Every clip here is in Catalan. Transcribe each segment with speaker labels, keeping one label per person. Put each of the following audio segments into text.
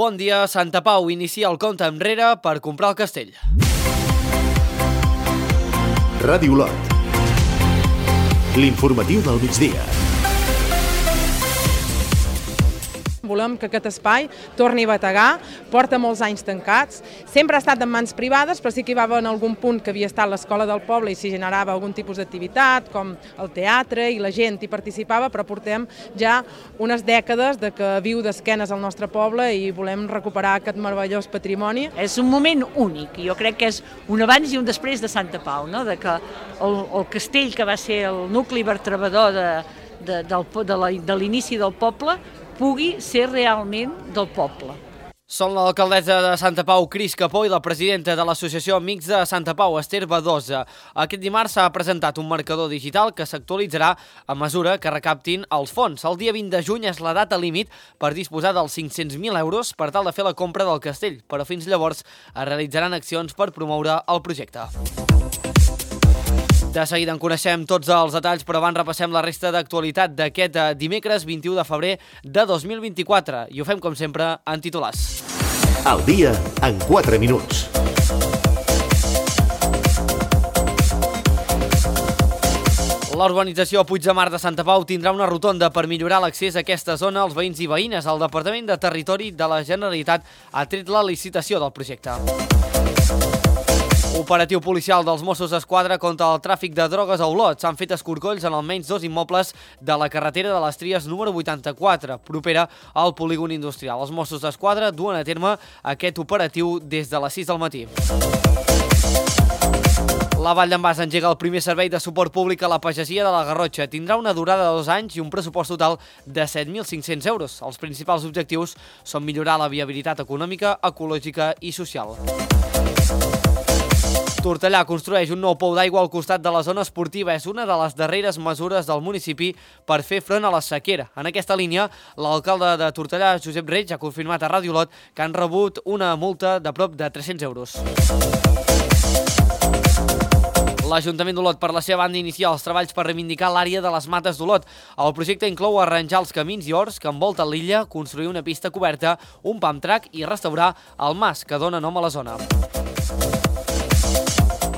Speaker 1: Bon dia, Santa Pau inicia el compte enrere per comprar el castell.
Speaker 2: Ràdio Olot. L'informatiu del migdia.
Speaker 3: Volem que aquest espai torni a bategar, porta molts anys tancats, sempre ha estat en mans privades, però sí que hi va haver en algun punt que havia estat l'escola del poble i s'hi generava algun tipus d'activitat, com el teatre, i la gent hi participava, però portem ja unes dècades de que viu d'esquenes al nostre poble i volem recuperar aquest meravellós patrimoni.
Speaker 4: És un moment únic, jo crec que és un abans i un després de Santa Pau, no? De que el castell, que va ser el nucli vertebrador de l'inici del poble, pugui ser realment del poble.
Speaker 1: Són l'alcaldessa de Santa Pau, Cris Capó, i la presidenta de l'Associació Amics de Santa Pau, Esther Badosa. Aquest dimarts s'ha presentat un marcador digital que s'actualitzarà a mesura que recaptin els fons. El dia 20 de juny és la data límit per disposar dels 500.000 euros per tal de fer la compra del castell, però fins llavors es realitzaran accions per promoure el projecte. De seguida en coneixem tots els detalls, però abans repassem la resta d'actualitat d'aquest dimecres 21 de febrer de 2024. I ho fem, com sempre, en titulars.
Speaker 2: El dia en 4 minuts.
Speaker 1: La urbanització Puig de Mar de Santa Pau tindrà una rotonda per millorar l'accés a aquesta zona als veïns i veïnes. El Departament de Territori de la Generalitat ha tret la licitació del projecte. Operatiu policial dels Mossos d'Esquadra contra el tràfic de drogues a Olot. S'han fet escorcolls en almenys 2 immobles de la carretera de les Tries número 84, propera al polígon industrial. Els Mossos d'Esquadra duen a terme aquest operatiu des de les 6 del matí. La Vall d'en Bas engega el primer servei de suport públic a la pagesia de la Garrotxa. Tindrà una durada de 2 anys i un pressupost total de 7.500 euros. Els principals objectius són millorar la viabilitat econòmica, ecològica i social. Tortellà construeix un nou pou d'aigua al costat de la zona esportiva. És una de les darreres mesures del municipi per fer front a la sequera. En aquesta línia, l'alcalde de Tortellà, Josep Reig, ha confirmat a Ràdio Olot que han rebut una multa de prop de 300 euros. L'Ajuntament d'Olot, per la seva banda, inicia els treballs per reivindicar l'àrea de les mates d'Olot. El projecte inclou arranjar els camins i horts que envolten l'illa, construir una pista coberta, un pump track i restaurar el mas que dona nom a la zona.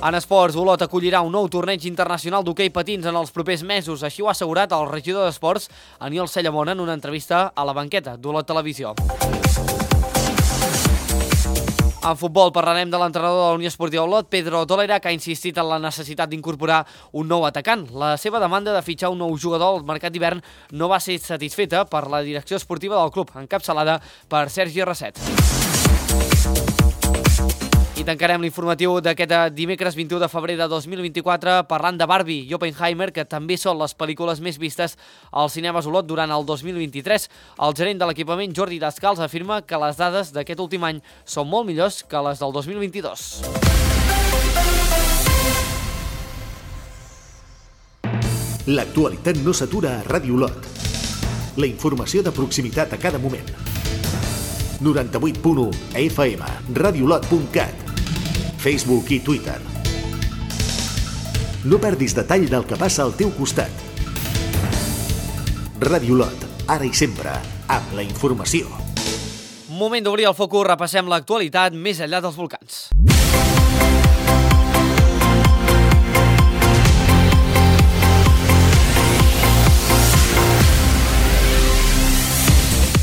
Speaker 1: En esports, Olot acollirà un nou torneig internacional d'hoquei patins en els propers mesos. Així ho ha assegurat el regidor d'Esports, Aniol Cellamona, en una entrevista a la banqueta d'Olot Televisió. En futbol parlarem de l'entrenador de la Unió Esportiva Olot, Pedro Tolera, que ha insistit en la necessitat d'incorporar un nou atacant. La seva demanda de fitxar un nou jugador al mercat d'hivern no va ser satisfeta per la direcció esportiva del club, encapçalada per Sergi Rasset. I tancarem l'informatiu d'aquest dimecres 21 de febrer de 2024 parlant de Barbie i Oppenheimer, que també són les pel·lícules més vistes als cinemes Olot durant el 2023. El gerent de l'equipament, Jordi Descals, afirma que les dades d'aquest últim any són molt millors que les del 2022.
Speaker 2: L'actualitat no s'atura a Ràdio Olot. La informació de proximitat a cada moment. 98.1 FM, radioolot.cat, Facebook i Twitter. No perdis detall del que passa al teu costat. Ràdio Olot, ara i sempre, amb la informació.
Speaker 1: Moment d'obrir el focus, repassem l'actualitat més enllà dels volcans.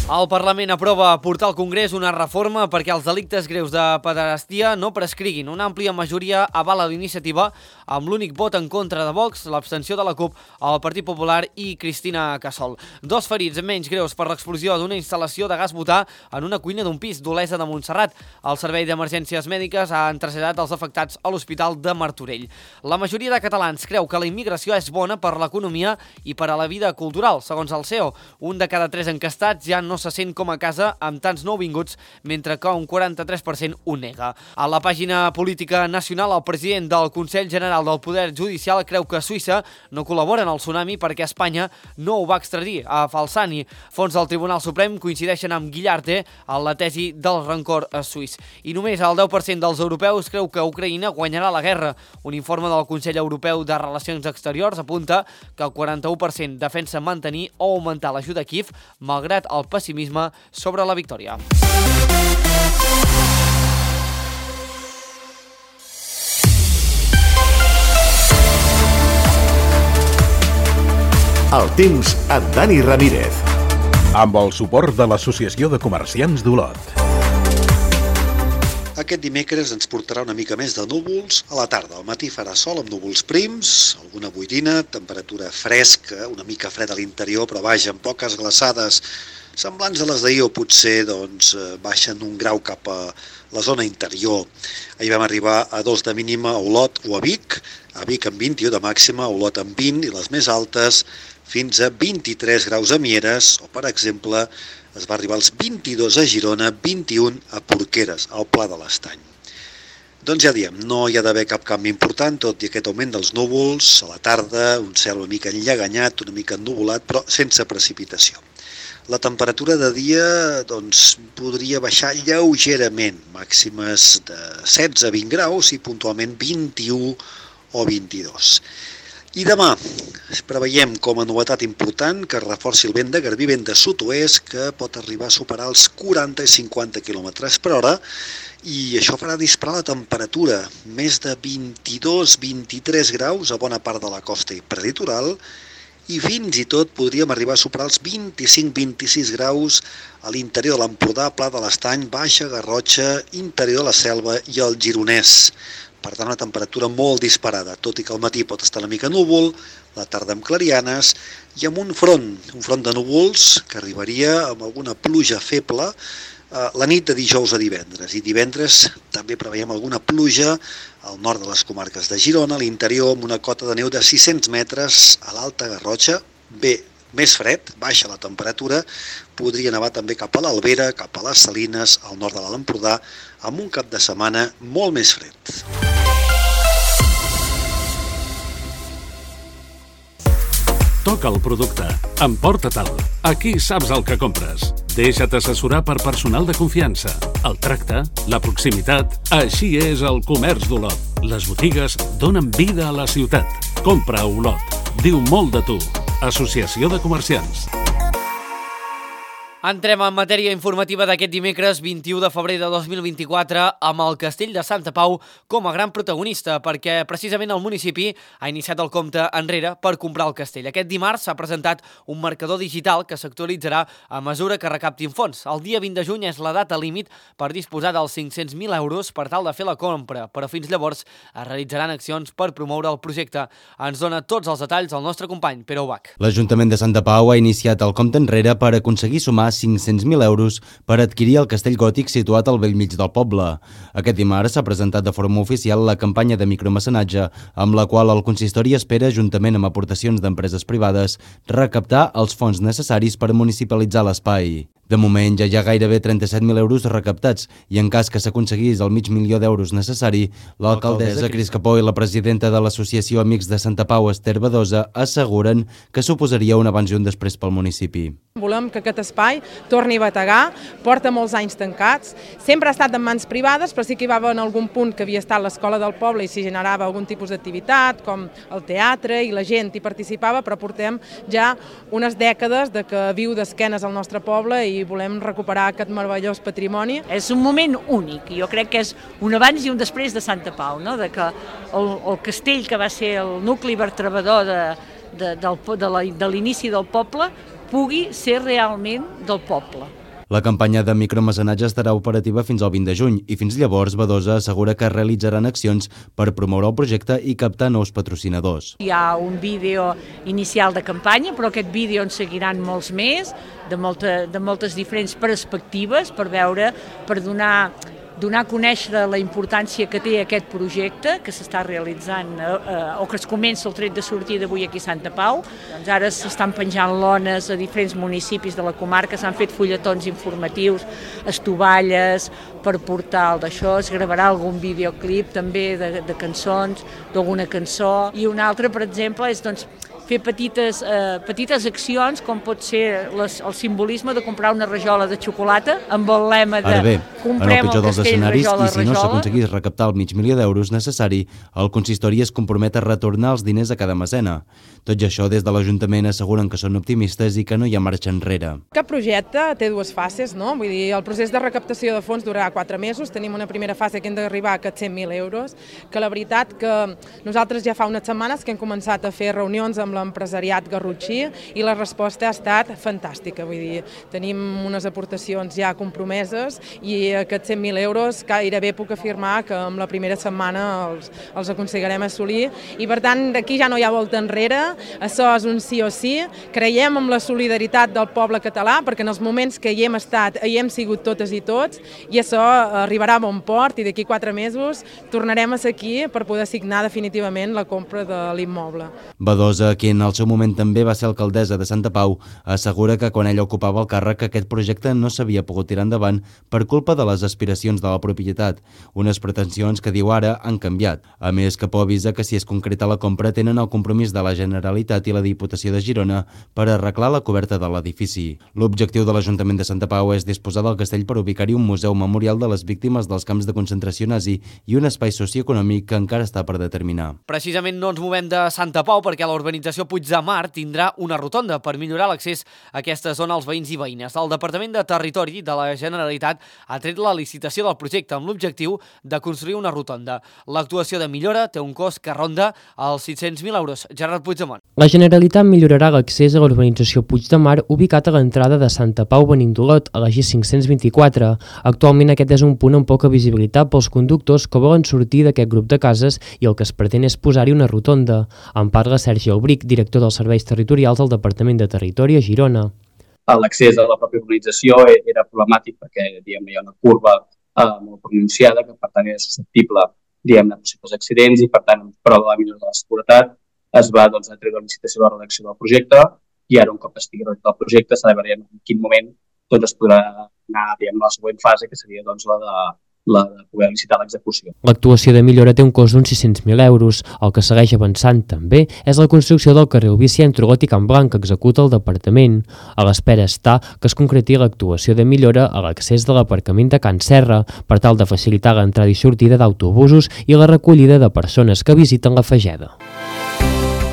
Speaker 1: El Parlament aprova portar al Congrés una reforma perquè els delictes greus de pederàstia no prescriguin. Una àmplia majoria avala l'iniciativa amb l'únic vot en contra de Vox, l'abstenció de la CUP, el Partit Popular i Cristina Casol. 2 ferits menys greus per l'explosió d'una instal·lació de gas butà en una cuina d'un pis d'Olesa de Montserrat. El Servei d'Emergències Mèdiques ha traslladat els afectats a l'Hospital de Martorell. La majoria de catalans creu que la immigració és bona per l'economia i per a la vida cultural. Segons el CEO, 1 de cada 3 encastats ja no se sent com a casa amb tants nouvinguts, mentre que un 43% ho nega. A la pàgina política nacional, el president del Consell General del Poder Judicial creu que Suïssa no col·labora en el tsunami perquè Espanya no ho va extradir a Falsani. Fons del Tribunal Suprem coincideixen amb Guillarte en la tesi del rancor suís. I només el 10% dels europeus creu que Ucraïna guanyarà la guerra. Un informe del Consell Europeu de Relacions Exteriors apunta que el 41% defensa mantenir o augmentar l'ajuda a Kíev, malgrat el pessimisme pessimisme sobre la victòria.
Speaker 2: El temps amb Dani Ramírez.
Speaker 5: Amb el suport de l'Associació de Comerciants d'Olot.
Speaker 6: Aquest dimecres ens portarà una mica més de núvols a la tarda. Al matí farà sol amb núvols prims, alguna boirina, temperatura fresca, una mica freda a l'interior, però vaja, amb poques glaçades semblants a les d'ahir o potser baixen un grau cap a la zona interior. Ahir vam arribar a 2 de mínima a Olot o a Vic amb 21 de màxima, a Olot amb 20 i les més altes fins a 23 graus a Mieres, o per exemple es va arribar als 22 a Girona, 21 a Porqueres, al Pla de l'Estany. Doncs ja diem, no hi ha d'haver cap canvi important, tot i aquest augment dels núvols, a la tarda, un cel una mica enllaganyat, una mica ennuvolat, però sense precipitació. La temperatura de dia podria baixar lleugerament, màximes de 16 a 20 graus i puntualment 21 o 22. I demà preveiem com a novetat important que es reforci el vent de Garbí, vent de sud-oest, que pot arribar a superar els 40 i 50 km per hora, i això farà disparar la temperatura, més de 22-23 graus a bona part de la costa i prelitoral, i fins i tot podríem arribar a superar els 25-26 graus a l'interior de l'Empordà, Pla de l'Estany, Baixa Garrotxa, interior de la Selva i el Gironès. Per tant, una temperatura molt disparada, tot i que al matí pot estar una mica núvol, la tarda amb clarianes i amb un front de núvols que arribaria amb alguna pluja feble la nit de dijous a divendres. I divendres també preveiem alguna pluja al nord de les comarques de Girona, a l'interior amb una cota de neu de 600 metres a l'Alta Garrotxa, més fred, baixa la temperatura, podria nevar també cap a l'Albera, cap a les Salines, al nord de l'Alt Empordà, amb un cap de setmana molt més fred.
Speaker 7: Toca el producte, emporta-te'l. Aquí saps el que compres. Deixa't assessorar per personal de confiança. El tracte, la proximitat, així és el comerç d'Olot. Les botigues donen vida a la ciutat. Compra a Olot. Diu molt de tu. Associació de Comerciants.
Speaker 1: Entrem en matèria informativa d'aquest dimecres 21 de febrer de 2024 amb el Castell de Santa Pau com a gran protagonista, perquè precisament el municipi ha iniciat el compte enrere per comprar el castell. Aquest dimarts s'ha presentat un marcador digital que s'actualitzarà a mesura que recaptin fons. El dia 20 de juny és la data límit per disposar dels 500.000 euros per tal de fer la compra, però fins llavors es realitzaran accions per promoure el projecte. Ens dona tots els detalls el nostre company, Pere Ubach.
Speaker 8: L'Ajuntament de Santa Pau ha iniciat el compte enrere per aconseguir sumar 500.000 euros per adquirir el castell gòtic situat al bell mig del poble. Aquest dimarts s'ha presentat de forma oficial la campanya de micromecenatge, amb la qual el consistori espera, juntament amb aportacions d'empreses privades, recaptar els fons necessaris per municipalitzar l'espai. De moment ja hi ha gairebé 37.000 euros recaptats i en cas que s'aconseguís el $500.000 necessari, l'alcaldessa Cris Capó i la presidenta de l'Associació Amics de Santa Pau, Esther Badosa, asseguren que suposaria un abans i un després pel municipi.
Speaker 3: Volem que aquest espai torni a bategar, porta molts anys tancats, sempre ha estat en mans privades, però sí que hi va haver en algun punt que havia estat l'escola del poble i s'hi generava algun tipus d'activitat, com el teatre, i la gent hi participava, però portem ja unes dècades de que viu d'esquenes al nostre poble i volem recuperar aquest meravellós patrimoni.
Speaker 4: És un moment únic, jo crec que és un abans i un després de Santa Pau, no? De que el castell que va ser el nucli vertebrador de l'inici del poble pugui ser realment del poble.
Speaker 8: La campanya de micromecenatge estarà operativa fins al 20 de juny i fins llavors Badosa assegura que realitzaran accions per promoure el projecte i captar nous patrocinadors.
Speaker 4: Hi ha un vídeo inicial de campanya, però aquest vídeo en seguiran molts més, de moltes diferents perspectives, per donar a conèixer la importància que té aquest projecte que s'està realitzant o que es comença el tret de sortida d'avui aquí a Santa Pau. Doncs ara s'estan penjant lones a diferents municipis de la comarca, s'han fet fulletons informatius, estovalles per portar el d'això, es gravarà algun videoclip també de cançons, d'alguna cançó, i un altre, per exemple, és fer petites accions com pot ser el simbolisme de comprar una rajola de xocolata amb el lema de
Speaker 8: En el pitjor dels escenaris, i si no s'aconseguís recaptar el $500.000 necessari, el consistori es compromet a retornar els diners a cada mecena. Tot i això, des de l'Ajuntament asseguren que són optimistes i que no hi ha marxa enrere.
Speaker 3: Aquest projecte té dues fases, no? Vull dir, el procés de recaptació de fons durarà 4 mesos, tenim una primera fase que hem d'arribar a aquests €100.000, que la veritat que nosaltres ja fa unes setmanes que hem començat a fer reunions amb l'empresariat garrotxí i la resposta ha estat fantàstica, vull dir, tenim unes aportacions ja compromeses i aquests €100.000 gairebé puc afirmar que amb la primera setmana els aconseguirem assolir i per tant d'aquí ja no hi ha volta enrere, això és un sí o sí, creiem en la solidaritat del poble català perquè en els moments que hi hem estat hi hem sigut totes i tots i això arribarà a bon port i d'aquí 4 mesos tornarem a ser aquí per poder signar definitivament la compra de l'immoble.
Speaker 8: Badosa, qui en el seu moment també va ser alcaldessa de Santa Pau, assegura que quan ella ocupava el càrrec aquest projecte no s'havia pogut tirar endavant per culpa de les aspiracions de la propietat, unes pretensions que diu ara han canviat. A més, Capó avisa que si es concreta la compra tenen el compromís de la Generalitat i la Diputació de Girona per arreglar la coberta de l'edifici. L'objectiu de l'Ajuntament de Santa Pau és disposar del castell per ubicar-hi un museu memorial de les víctimes dels camps de concentració nazi i un espai socioeconòmic que encara està per determinar.
Speaker 1: Precisament no ens movem de Santa Pau perquè la urbanització Puig de Mar tindrà una rotonda per millorar l'accés a aquesta zona als veïns i veïnes. El Departament de Territori de la Generalitat ha tret la licitació del projecte amb l'objectiu de construir una rotonda. L'actuació de millora té un cost que ronda els €600.000. Gerard Puigdemont.
Speaker 9: La Generalitat millorarà l'accés a l'urbanització Puig de Mar ubicat a l'entrada de Santa Pau Benindolot a la G524. Actualment aquest és un punt amb poca visibilitat pels conductors que volen sortir d'aquest grup de cases i el que es pretén és posar-hi una rotonda. En parla Sergi Albric, director dels Serveis Territorials del Departament de Territori a Girona.
Speaker 10: L'accés a la pròpia urbanització era problemàtic perquè hi ha una curva molt pronunciada que per tant era susceptible a possibles accidents i per tant en prova de la millora de la seguretat es va treure la licitació de la redacció del projecte i ara un cop estigui redactat el projecte s'ha de veure en quin moment es podrà anar a la següent fase que seria la de poder licitar l'execució.
Speaker 9: L'actuació de millora té un cost d'uns €600.000. El que segueix avançant també és la construcció del carril bici entre Olot i Can Blanc que executa el Departament. A l'espera està que es concreti l'actuació de millora a l'accés de l'aparcament de Can Serra per tal de facilitar l'entrada i sortida d'autobusos i la recollida de persones que visiten la Fageda.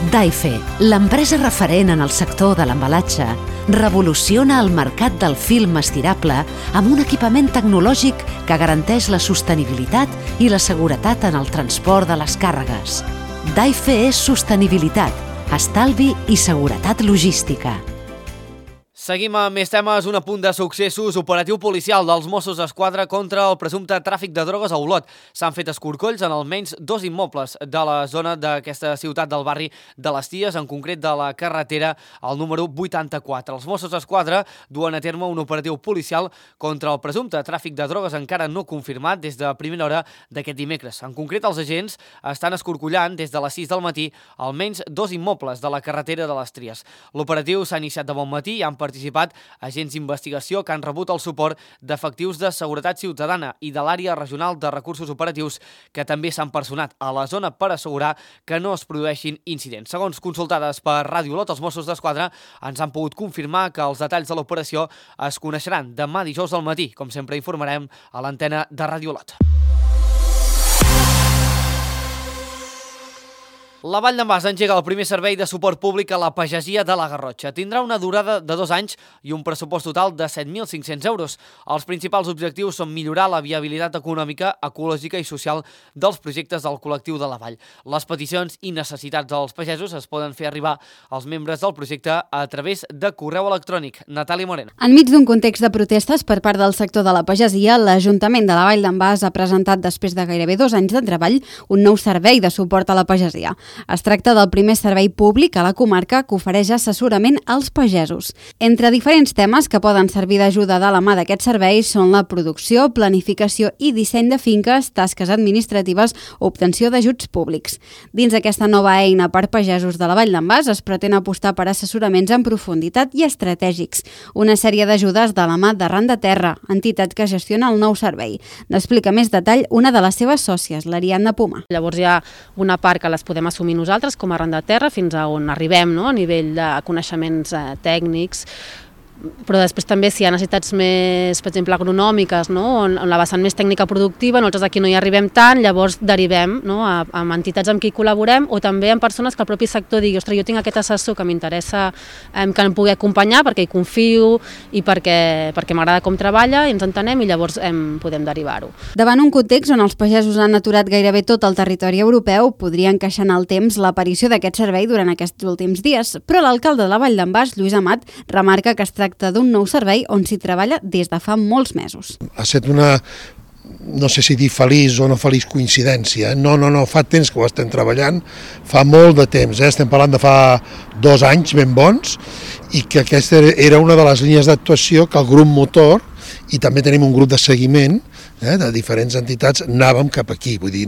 Speaker 11: Daife, l'empresa referent en el sector de l'embalatge, revoluciona el mercat del film estirable amb un equipament tecnològic que garanteix la sostenibilitat i la seguretat en el transport de les càrregues. Daife és sostenibilitat, estalvi i seguretat logística.
Speaker 1: Seguim amb més temes. Un apunt de successos. Operatiu policial dels Mossos d'Esquadra contra el presumpte tràfic de drogues a Olot. S'han fet escorcolls en almenys 2 immobles de la zona d'aquesta ciutat del barri de les Ties, en concret de la carretera al número 84. Els Mossos d'Esquadra duen a terme un operatiu policial contra el presumpte tràfic de drogues encara no confirmat des de primera hora d'aquest dimecres. En concret, els agents estan escorcollant des de les 6 del matí almenys 2 immobles de la carretera de les Tries. L'operatiu s'ha iniciat de bon matí i han participat agents d'investigació que han rebut el suport d'efectius de seguretat ciutadana i de l'àrea regional de recursos operatius que també s'han personat a la zona per assegurar que no es produeixin incidents. Segons consultades per Ràdio Olot, els Mossos d'Esquadra ens han pogut confirmar que els detalls de l'operació es coneixeran demà dijous al matí. Com sempre informarem a l'antena de Ràdio Olot. La Vall d'en Bas engega el primer servei de suport públic a la pagesia de la Garrotxa. Tindrà una durada de 2 anys i un pressupost total de 7.500 euros. Els principals objectius són millorar la viabilitat econòmica, ecològica i social dels projectes del col·lectiu de la Vall. Les peticions i necessitats dels pagesos es poden fer arribar als membres del projecte a través de correu electrònic. Natàlia Moreno.
Speaker 12: Enmig d'un context de protestes per part del sector de la pagesia, l'Ajuntament de la Vall d'en Bas ha presentat, després de gairebé 2 anys de treball, un nou servei de suport a la pagesia. Es tracta del primer servei públic a la comarca que ofereix assessorament als pagesos. Entre diferents temes que poden servir d'ajuda de la mà d'aquest servei són la producció, planificació i disseny de finques, tasques administratives o obtenció d'ajuts públics. Dins d'aquesta nova eina per pagesos de la Vall d'en Bas es pretén apostar per assessoraments en profunditat i estratègics, una sèrie d'ajudes de la mà d'Arran de Terra, entitat que gestiona el nou servei. N'explica més detall una de les seves sòcies, l'Ariadna Puma.
Speaker 13: Llavors hi ha una part que les podem assumir nosaltres com a Arran de Terra fins a on arribem, no? A nivell de coneixements tècnics, però després també si hi ha necessitats més, per exemple, agronòmiques, no? on la vessant més tècnica productiva, nosaltres aquí no hi arribem tant, llavors derivem, no? a entitats amb qui col·laborem o també amb persones que el propi sector digui, ostres, jo tinc aquest assessor que m'interessa que em pugui acompanyar perquè hi confio i perquè m'agrada com treballa i ens entenem i llavors podem derivar-ho.
Speaker 12: Davant un context on els pagesos han aturat gairebé tot el territori europeu, podria encaixar en el temps l'aparició d'aquest servei durant aquests últims dies, però l'alcalde de la Vall d'en Bas, Lluís Amat, remarca que es tracta d'un nou servei on s'hi treballa des de fa molts mesos.
Speaker 14: Ha estat una, no sé si dir feliç o no feliç coincidència, no, fa temps que ho estem treballant, fa molt de temps, estem parlant de fa 2 anys ben bons, i que aquesta era una de les línies d'actuació que el grup motor, i també tenim un grup de seguiment de diferents entitats, anàvem cap aquí, vull dir,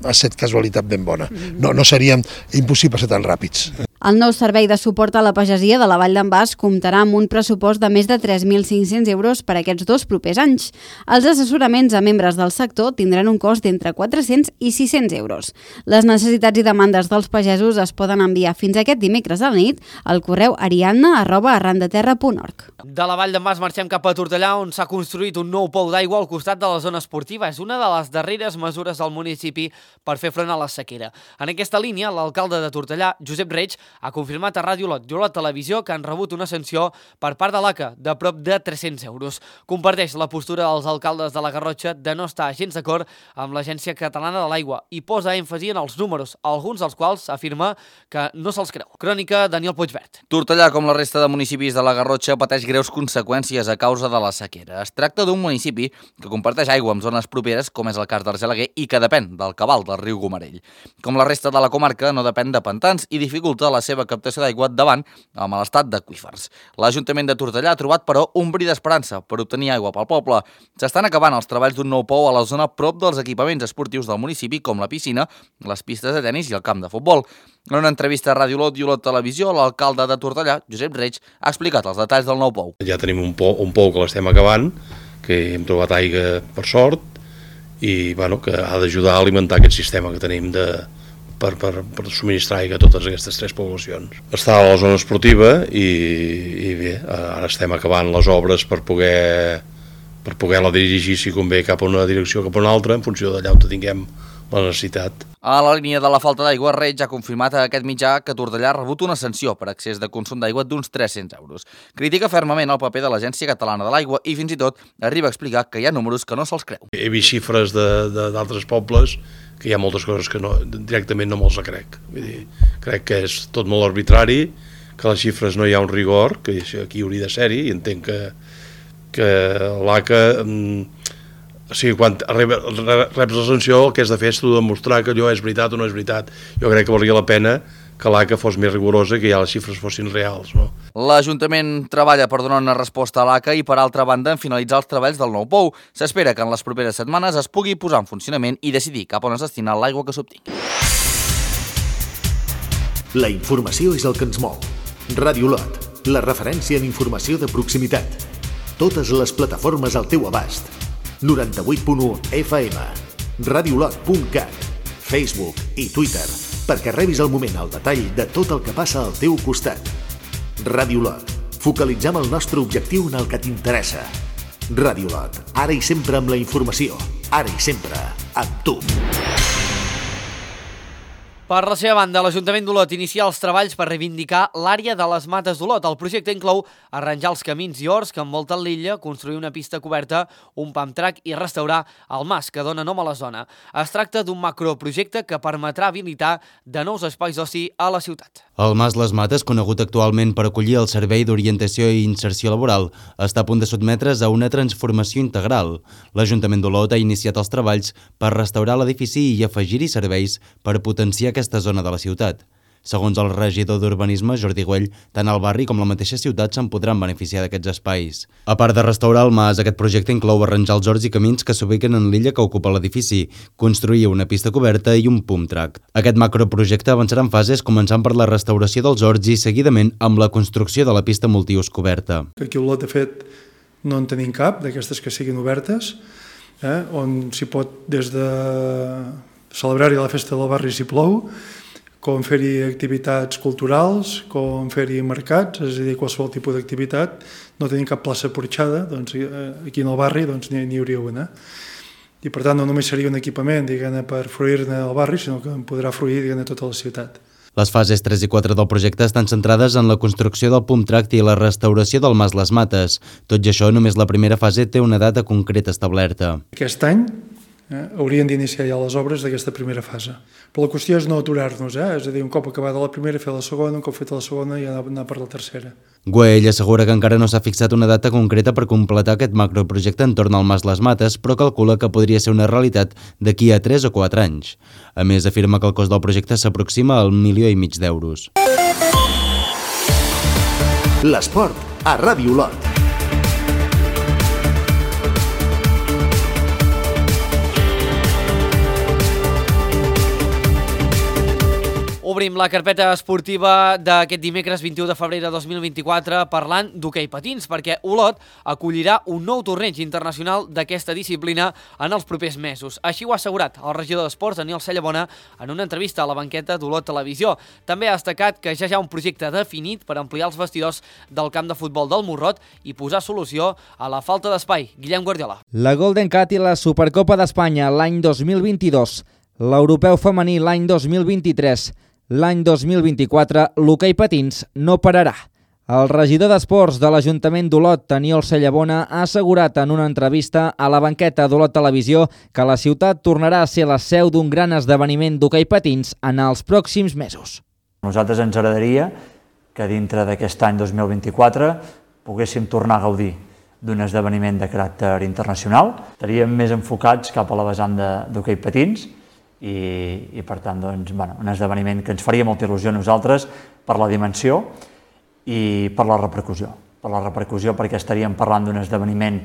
Speaker 14: ha estat casualitat ben bona, no seríem impossible ser tan ràpids.
Speaker 12: El nou servei de suport a la pagesia de la Vall d'en Bas comptarà amb un pressupost de més de 3.500 euros per aquests 2 propers anys. Els assessoraments a membres del sector tindran un cost d'entre 400 i 600 euros. Les necessitats i demandes dels pagesos es poden enviar fins aquest dimecres a la nit al correu ariadna@arrandeterra.org.
Speaker 1: De la Vall d'en Bas marxem cap a Tortellà, on s'ha construït un nou pou d'aigua al costat de la zona esportiva. És una de les darreres mesures del municipi per fer front a la sequera. En aquesta línia, l'alcalde de Tortellà, Josep Reig, ha confirmat a Ràdio Lot i Olot Televisió que han rebut una sanció per part de l'ACA de prop de 300 euros. Comparteix la postura dels alcaldes de la Garrotxa de no estar gens d'acord amb l'Agència Catalana de l'Aigua i posa èmfasi en els números, alguns dels quals afirma que no se'ls creu. Crònica, Daniel Puigvert.
Speaker 15: Tortellà, com la resta de municipis de la Garrotxa, pateix greus conseqüències a causa de la sequera. Es tracta d'un municipi que comparteix aigua amb zones properes, com és el cas d'Argelaguer, i que depèn del cabal del riu Gomarell. Com la resta de la comarca, no depèn de pantans i dificulta la seva captació d'aigua davant el mal estat d'aqüífers. L'Ajuntament de Tortellà ha trobat, però, un bri d'esperança per obtenir aigua pel poble. S'estan acabant els treballs d'un nou pou a la zona prop dels equipaments esportius del municipi, com la piscina, les pistes de tenis i el camp de futbol. En una entrevista a Ràdio Lot i Olot Televisió, l'alcalde de Tortellà, Josep Reig, ha explicat els detalls del nou pou.
Speaker 16: Ja tenim un pou que l'estem acabant, que hem trobat aigua per sort, i que ha d'ajudar a alimentar aquest sistema que tenim per subministrar aigua a totes aquestes 3 poblacions. Està a la zona esportiva i bé, ara estem acabant les obres per poder-la dirigir, si convé, cap a una direcció cap a una altra, en funció d'allà on tinguem la necessitat.
Speaker 15: A la línia de la falta d'aigua, Reig ha confirmat a aquest mitjà que Tortellà ha rebut una sanció per excés de consum d'aigua d'uns 300 euros. Critica fermament el paper de l'Agència Catalana de l'Aigua i fins i tot arriba a explicar que hi ha números que no se'ls creu.
Speaker 16: He vist xifres d'altres pobles que hi ha moltes coses que directament no me'ls crec. Vull dir, crec que és tot molt arbitrari, que les xifres no hi ha un rigor, que aquí hauria de ser-hi, i entenc que l'ACA... O sigui, quan reps la sanció, el que has de fer és demostrar que allò és veritat o no és veritat. Jo crec que valia la pena que l'ACA fos més rigorosa i que ja les xifres fossin reals. No?
Speaker 15: L'Ajuntament treballa per donar una resposta a l'ACA i, per altra banda, en finalitzar els treballs del nou pou. S'espera que en les properes setmanes es pugui posar en funcionament i decidir cap on es destina l'aigua que s'obtingui.
Speaker 2: La informació és el que ens mou. Ràdio Lot, la referència en informació de proximitat. Totes les plataformes al teu abast. 98.1 FM, radiolot.cat, Facebook i Twitter, perquè rebis al moment el detall de tot el que passa al teu costat. Ràdio Lot, focalitzem el nostre objectiu en el que t'interessa. Ràdio Lot, ara i sempre amb la informació, ara i sempre amb tu.
Speaker 1: Per la seva banda, l'Ajuntament d'Olot inicia els treballs per reivindicar l'àrea de les Mates d'Olot. El projecte inclou arranjar els camins i horts que envolten l'illa, construir una pista coberta, un pump track i restaurar el mas que dona nom a la zona. Es tracta d'un macroprojecte que permetrà habilitar de nous espais d'oci a la ciutat.
Speaker 8: El Mas Les Mates, conegut actualment per acollir el Servei d'Orientació i Inserció Laboral, està a punt de sotmetre's a una transformació integral. L'Ajuntament d'Olot ha iniciat els treballs per restaurar l'edifici i afegir-hi serveis per potenciar aquesta zona de la ciutat. Segons el regidor d'Urbanisme, Jordi Güell, tant el barri com la mateixa ciutat se'n podran beneficiar d'aquests espais. A part de restaurar el mas, aquest projecte inclou arranjar els horts i camins que s'ubiquen en l'illa que ocupa l'edifici, construir una pista coberta i un pump track. Aquest macroprojecte avançarà en fases començant per la restauració dels horts i seguidament amb la construcció de la pista multiús coberta.
Speaker 17: Aquí a Olot, de fet, no en tenim cap d'aquestes que siguin obertes, on s'hi pot des de celebrar-hi la festa del barri si plou, com fer-hi activitats culturals, com fer-hi mercats, és a dir, qualsevol tipus d'activitat. No tenim cap plaça porxada, doncs aquí en el barri doncs, n'hi hauria una. I per tant no només seria un equipament per fruir-ne al barri, sinó que podrà fruir tota la ciutat.
Speaker 8: Les fases 3 i 4 del projecte estan centrades en la construcció del pump tract i la restauració del Mas Les Mates. Tot i això, només la primera fase té una data concreta establerta.
Speaker 17: Aquest any haurien d'iniciar ja les obres d'aquesta primera fase. Però la qüestió és no aturar-nos, és a dir, un cop acabada la primera, fer la segona, un cop feta la segona i anar per la tercera.
Speaker 8: Güell assegura que encara no s'ha fixat una data concreta per completar aquest macroprojecte entorn al Mas Les Mates, però calcula que podria ser una realitat d'aquí a 3 o 4 anys. A més, afirma que el cost del projecte s'aproxima al 1,5 milió d'euros.
Speaker 2: L'esport a Ràdio Olot.
Speaker 1: Obrim la carpeta esportiva d'aquest dimecres 21 de febrer de 2024 parlant d'hoquei patins, perquè Olot acollirà un nou torneig internacional d'aquesta disciplina en els propers mesos. Així ho ha assegurat el regidor d'Esports, Daniel Cellabona, en una entrevista a la banqueta d'Olot Televisió. També ha destacat que ja hi ha un projecte definit per ampliar els vestidors del camp de futbol del Morrot i posar solució a la falta d'espai. Guillem Guardiola.
Speaker 18: La Golden Cat i la Supercopa d'Espanya l'any 2022, l'Europeu femení l'any 2023, l'any 2024, l'hoquei patins no pararà. El regidor d'Esports de l'Ajuntament d'Olot, Daniel Cellabona, ha assegurat en una entrevista a la banqueta d'Olot Televisió que la ciutat tornarà a ser la seu d'un gran esdeveniment d'hoquei patins en els pròxims mesos.
Speaker 19: A nosaltres ens agradaria que dintre d'aquest any 2024 poguéssim tornar a gaudir d'un esdeveniment de caràcter internacional. Estaríem més enfocats cap a la vessant d'hoquei patins, i per tant doncs, un esdeveniment que ens faria molta il·lusió a nosaltres per la dimensió i per la repercussió. Per la repercussió perquè estaríem parlant d'un esdeveniment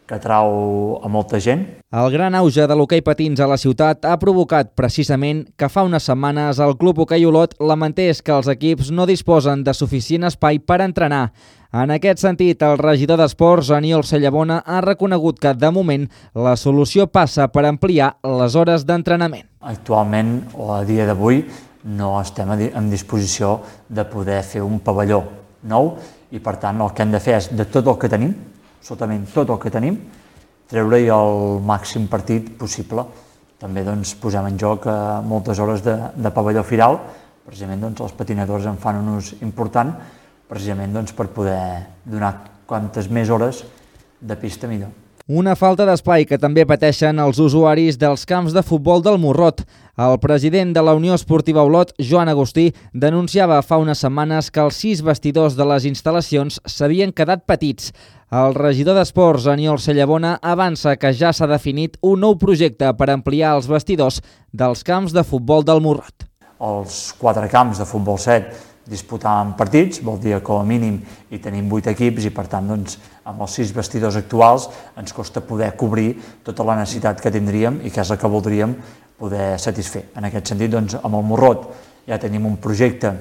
Speaker 19: que atrau a molta gent.
Speaker 18: El gran auge de l'hoquei patins a la ciutat ha provocat precisament que fa unes setmanes el Club Hoquei Olot lamentés que els equips no disposen de suficient espai per entrenar. En aquest sentit, el regidor d'Esports, Daniel Cellabona, ha reconegut que, de moment, la solució passa per ampliar les hores d'entrenament.
Speaker 19: Actualment, o a dia d'avui, no estem en disposició de poder fer un pavelló nou i, per tant, el que hem de fer és, de tot el que tenim, absolutament tot el que tenim, treure-hi el màxim partit possible. També posem en joc moltes hores de pavelló firal, precisament els patinadors en fan un ús important, precisament per poder donar quantes més hores de pista millor.
Speaker 18: Una falta d'espai que també pateixen els usuaris dels camps de futbol del Morrot. El president de la Unió Esportiva Olot, Joan Agustí, denunciava fa unes setmanes que els 6 vestidors de les instal·lacions s'havien quedat petits. El regidor d'Esports, Daniel Cellabona, avança que ja s'ha definit un nou projecte per ampliar els vestidors dels camps de futbol del Morrot.
Speaker 19: Els 4 camps de futbol 7 disputàvem partits, vol dir que com a mínim hi tenim 8 equips i per tant amb els 6 vestidors actuals ens costa poder cobrir tota la necessitat que tindríem i que és la que voldríem poder satisfer. En aquest sentit, amb el Morrot ja tenim un projecte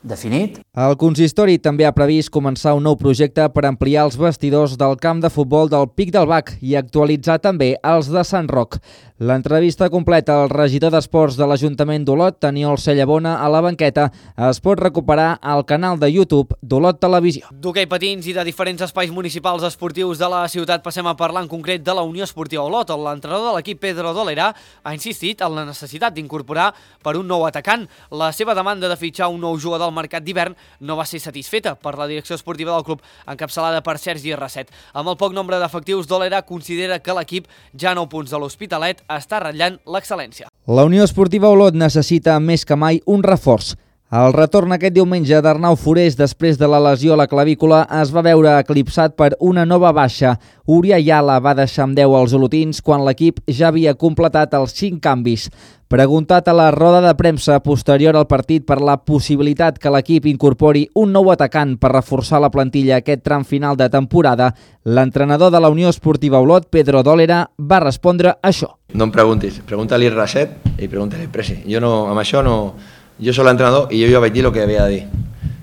Speaker 19: definit.
Speaker 18: El consistori també ha previst començar un nou projecte per ampliar els vestidors del camp de futbol del Pic del Bac i actualitzar també els de Sant Roc. L'entrevista completa al regidor d'Esports de l'Ajuntament d'Olot, Daniel Cellabona, a la banqueta, es pot recuperar al canal de YouTube d'Olot Televisió.
Speaker 1: D'hoquei patins i de diferents espais municipals esportius de la ciutat passem a parlar en concret de la Unió Esportiva Olot. L'entrenador de l'equip, Pedro Dolera, ha insistit en la necessitat d'incorporar per un nou atacant. La seva demanda de fitxar un nou jugador al mercat d'hivern no va ser satisfeta per la direcció esportiva del club, encapçalada per Sergi Rasset. Amb el poc nombre d'efectius, Dolera considera que l'equip, ja a 9 punts de l'Hospitalet, està ratllant l'excel·lència.
Speaker 18: La Unió Esportiva Olot necessita més que mai un reforç. El retorn aquest diumenge d'Arnau Forés després de la lesió a la clavícula es va veure eclipsat per una nova baixa. Uri Ayala va deixar amb 10 els olotins quan l'equip ja havia completat els 5 canvis. Preguntat a la roda de premsa posterior al partit per la possibilitat que l'equip incorpori un nou atacant per reforçar la plantilla aquest tram final de temporada, l'entrenador de la Unió Esportiva Olot, Pedro Dolera, va respondre això.
Speaker 20: No em preguntis, pregunta-li Rasset i pregunta-li Presi. Jo no, amb això no... Jo soc l'entrenador i jo ja vaig dir el que havia de dir.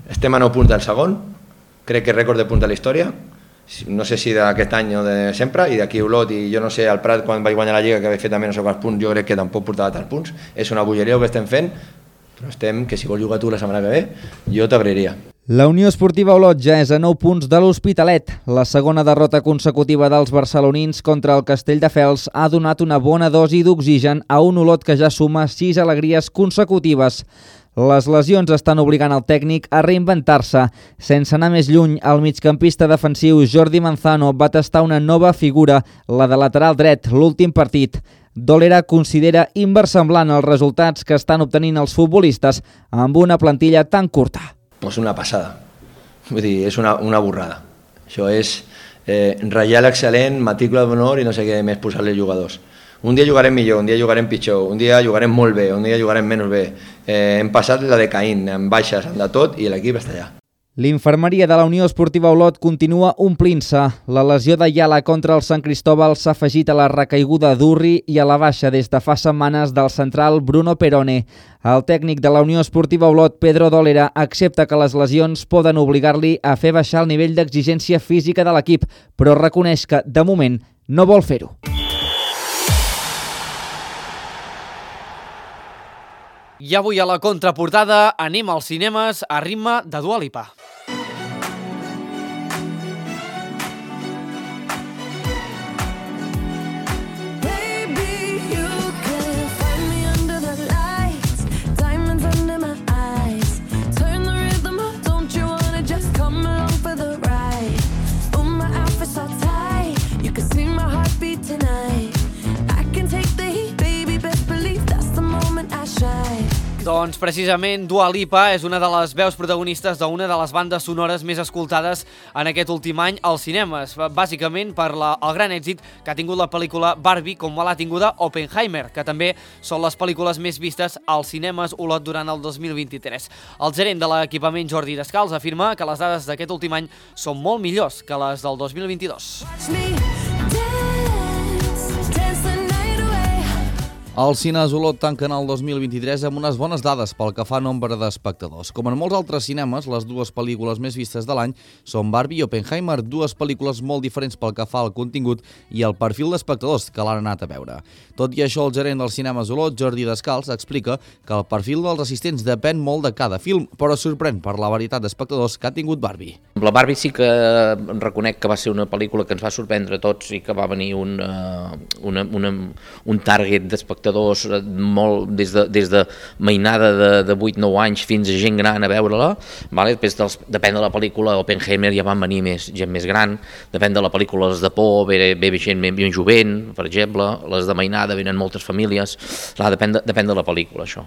Speaker 20: Estem a 9 punts del segon, crec que és rècord de punts de la història, no sé si d'aquest any o de sempre, i d'aquí Olot, i jo no sé, al Prat, quan vaig guanyar la Lliga, que vaig fer també no sé quants punts, jo crec que tampoc portava tants punts. És una bogeria el que estem fent, Però estem, que si vols jugar tu la setmana que ve, jo t'agrairia.
Speaker 18: La Unió Esportiva Olot ja és a 9 punts de l'Hospitalet. La segona derrota consecutiva dels barcelonins contra el Castelldefels ha donat una bona dosi d'oxigen a un Olot que ja suma 6 alegries consecutives. Les lesions estan obligant el tècnic a reinventar-se. Sense anar més lluny, el migcampista defensiu Jordi Manzano va tastar una nova figura, la de lateral dret, l'últim partit. Dolera considera inversemblant els resultats que estan obtenint els futbolistes amb una plantilla tan curta.
Speaker 20: És una passada, vull dir, és una borrada. Això és ratllar l'excel·lent, matrícula d'honor i no sé què més posar-li jugadors. Un dia jugarem millor, un dia jugarem pitjor, un dia jugarem molt bé, un dia jugarem menys bé. Hem passat la de Caín, amb baixes, amb de tot, i l'equip està allà.
Speaker 18: L'infermeria de la Unió Esportiva Olot continua omplint-se. La lesió de Yala contra el Sant Cristóbal s'ha afegit a la recaiguda d'Urri i a la baixa des de fa setmanes del central Bruno Perone. El tècnic de la Unió Esportiva Olot, Pedro Dolera, accepta que les lesions poden obligar-li a fer baixar el nivell d'exigència física de l'equip, però reconeix que, de moment, no vol fer-ho.
Speaker 1: I avui a la contraportada anem als cinemes a ritme de Dua Lipa. Doncs precisament Dua Lipa és una de les veus protagonistes d'una de les bandes sonores més escoltades en aquest últim any als cinemes, bàsicament per el gran èxit que ha tingut la pel·lícula Barbie, com l'ha tinguda Oppenheimer, que també són les pel·lícules més vistes als cinemes Olot durant el 2023. El gerent de l'equipament, Jordi Descalç, afirma que les dades d'aquest últim any són molt millors que les del 2022.
Speaker 15: Els cines Olot tanquen el 2023 amb unes bones dades pel que fa a nombre d'espectadors. Com en molts altres cinemes, les dues pel·lícules més vistes de l'any són Barbie i Oppenheimer, dues pel·lícules molt diferents pel que fa al contingut i al perfil d'espectadors que l'han anat a veure. Tot i això, el gerent dels cinemes Olot, Jordi Descalç, explica que el perfil dels assistents depèn molt de cada film, però sorprèn per la varietat d'espectadors que ha tingut Barbie.
Speaker 21: La Barbie sí que reconec que va ser una pel·lícula que ens va sorprendre a tots i que va venir un target d'espectadors molt, des de mainada de 8-9 anys fins a gent gran a veure-la. Després, depèn de la pel·lícula, Oppenheimer ja van venir gent més gran, depèn de la pel·lícula, les de por, ve gent més jovent, per exemple, les de mainada venen moltes famílies, depèn de la pel·lícula, això.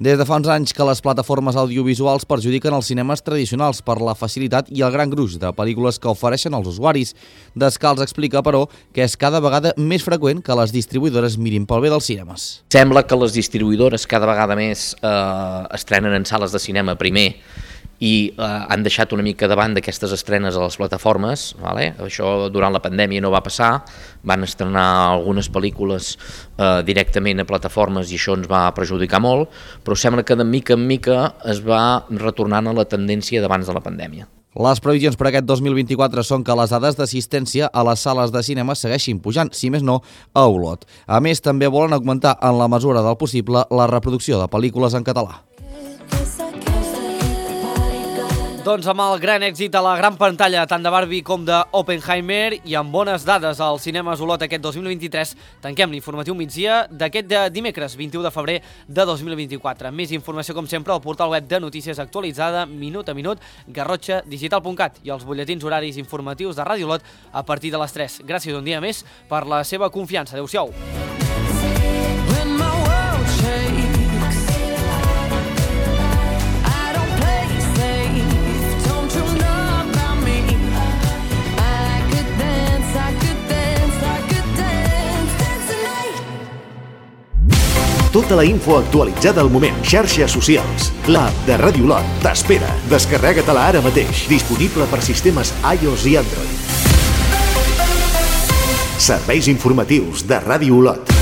Speaker 15: Des de fa uns anys que les plataformes audiovisuals perjudiquen els cinemes tradicionals per la facilitat i el gran gruix de pel·lícules que ofereixen als usuaris. Descalç explica, però, que és cada vegada més freqüent que les distribuïdores mirin pel bé dels cinemes.
Speaker 21: Sembla que les distribuïdores cada vegada més estrenen en sales de cinema primer i han deixat una mica davant d'aquestes estrenes a les plataformes. Això durant la pandèmia no va passar, van estrenar algunes pel·lícules directament a plataformes i això ens va perjudicar molt, però sembla que de mica en mica es va retornant a la tendència d'abans de la pandèmia.
Speaker 15: Les previsions per aquest 2024 són que les dades d'assistència a les sales de cinema segueixin pujant, si més no, a Olot. A més, també volen augmentar, en la mesura del possible, la reproducció de pel·lícules en català.
Speaker 1: Doncs amb el gran èxit a la gran pantalla tant de Barbie com d'Oppenheimer i amb bones dades als cinemes Olot aquest 2023, tanquem l'informatiu migdia d'aquest dimecres 21 de febrer de 2024. Més informació, com sempre, al portal web de notícies actualitzada, minut a minut, garrotxadigital.cat i els butlletins horaris informatius de Ràdio Olot a partir de les 3. Gràcies un dia més per la seva confiança. Adéu-siau.
Speaker 2: Tota la info actualitzada al moment. Xarxes socials. L'app de Ràdio Olot t'espera. Descarrega-te-la ara mateix. Disponible per sistemes iOS i Android. Serveis informatius de Ràdio Olot.